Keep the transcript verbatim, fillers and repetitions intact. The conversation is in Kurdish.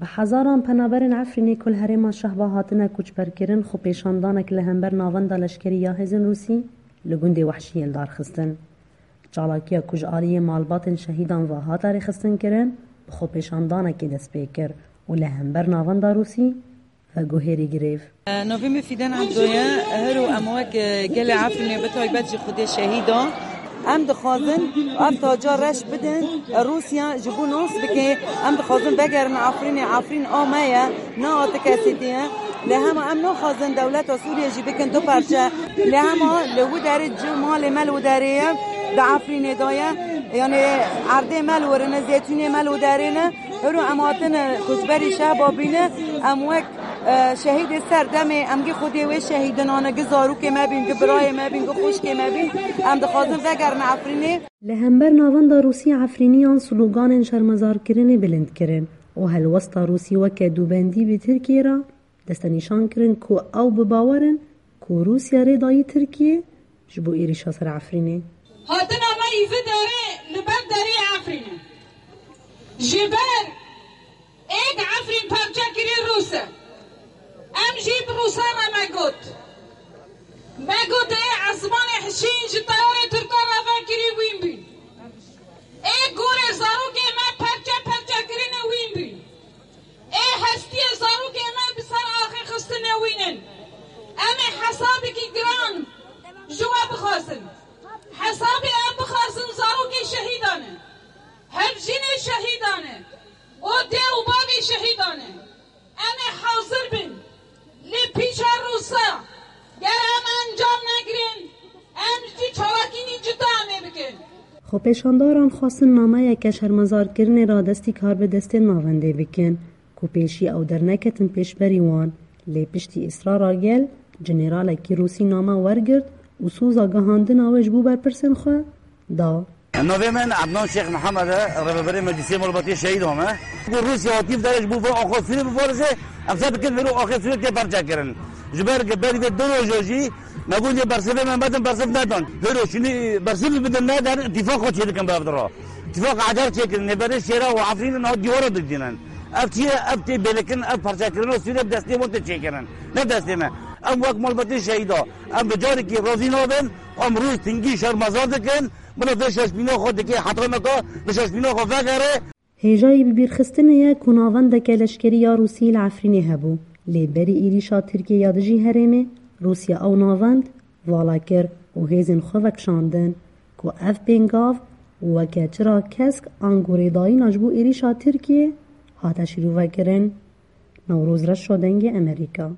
Bi hezaran penaberên Efrînê ku li herêma Şehba hatine koçberkirin, xwepêşandanek li hember navenda leşkerî ya hêzên Rûsî li gundê Wehşiyê li dar xistin. Çalakiya ku ji aliyê malbatên şehîdan ve hate rêxistinkirin, bi xwepêşandanekê dest pê kir û li hember navenda Rûsî veguherî girêv. Navê min Fîdan Ebdo ye. Her û em wek gelê Efrînê, bi taybet jî xwedê şehîdan. Em dixwazin ev taca reş bidin, Rûsya ji bo nas bike. Em dixwazin vegerin Efrînê. Efrîn a me ye, ne a ti kesî tê ye. Lê hema em naxwazin dewleta Sûriyê jî bikin du parçe. Lê hema li wî derê, cih malê me li wî derê ye, di Efrînê de ye. Yanî erdê me li wir in e, zeytûnê me li wî derê ne. Hiro em hatine koçberî Şehba bîne, em wek, e, şehîdê serdemê, em gî xwedê wê şehîdinan e, gi zarokê me bîn, gi birayê me bîn, gi xwişkê me bîn, em dixwazin vegerin Efrînê. Li hember navenda Rûsî Efrîniyan sloganên şermezarkirinê bilind kirin û helwesta Rûsî weke dûbendî bi Tirkiyê re destenîşan kirin ku ew bi bawer in ku Rûsya rê dayî Tirkiyê ji bo êrîşa ser Efrînê. Hatina me î vi derê li ber derê Efrînê. Ji ber êk Efrîn parçe kirî Rûs e. Em jî bi Rûsan re me got. Me got ê esmanê hişîn ji teyarê Tirkan re vekirî wîn bîn. Ê gorê zarokê me parçe parçe kirine wîn bîn. Ê hestiyê zarokê me bi ser axê xistine wînin. Em ê hesabekî giran ji we bixwazin. Hesabê em bixwazin zarokê şehîdan e. Hevjînê şehîdan e. Û dê û bavê şehîdan e. Em ê hazir bin. Lê pîça Rûsa, ger em encam negirin, em jî çalakînî cida em ê bikin. Xwepêşandaran xwestin nameyeke şermezarkirinê radestî karbidestên navendê bikin, ku pêşî ew derneketin pêşberî wan, lê piştî îsrara gel, jeneralekî Rûsî name wergirt û soza gihandina wê ji bo berpirsên xwe da. Navê min Ednan Şêx Mihemed e, rêveberê Meclîsê Malbatê Şehîdan me. Ku Rûsya hatî bi derê ji bo vê axa Sûriyê biparêze, em ser dikin vêro axê Sûriyê tê parçe kirin. Ji ber ku berî vê du roja jî me got lê bersivê me bedin, bersiv nedan. Vêro şûnî bersivî bidin, nedan, îtîfaqa çêdikin bi ev dira. Îtîfaqa eder çêkirin, nêberê Şêra û Efrînê niha dîwara didînin. Ev çi ye? Ev tê bêlikin, ev parçekirina Sûriyê bi destê wan tê çêkirin. Ne destê me. Em wek malbatê şehîda, em bi carekî razî nabin, em rû stingî şermezar dikin. Bila vê şaşbîna xwe dike heta nika, bi şaşbîna xwe vegere. Hêjayî bibîrxistinê ye ku navendeke leşkerî ya Rûsî li Efrînê hebû, lê berî êrîşa Tirkiyê ya dijî herêmê, Rûsya ew navend vala kir û hêzên xwe vekişandin ku ev pêngav weke çira kesk ango rêdayîna ji bo êrîşa Tirkiyê hate şîrove kirin. Newroz Reşo, Dengê Emerîka.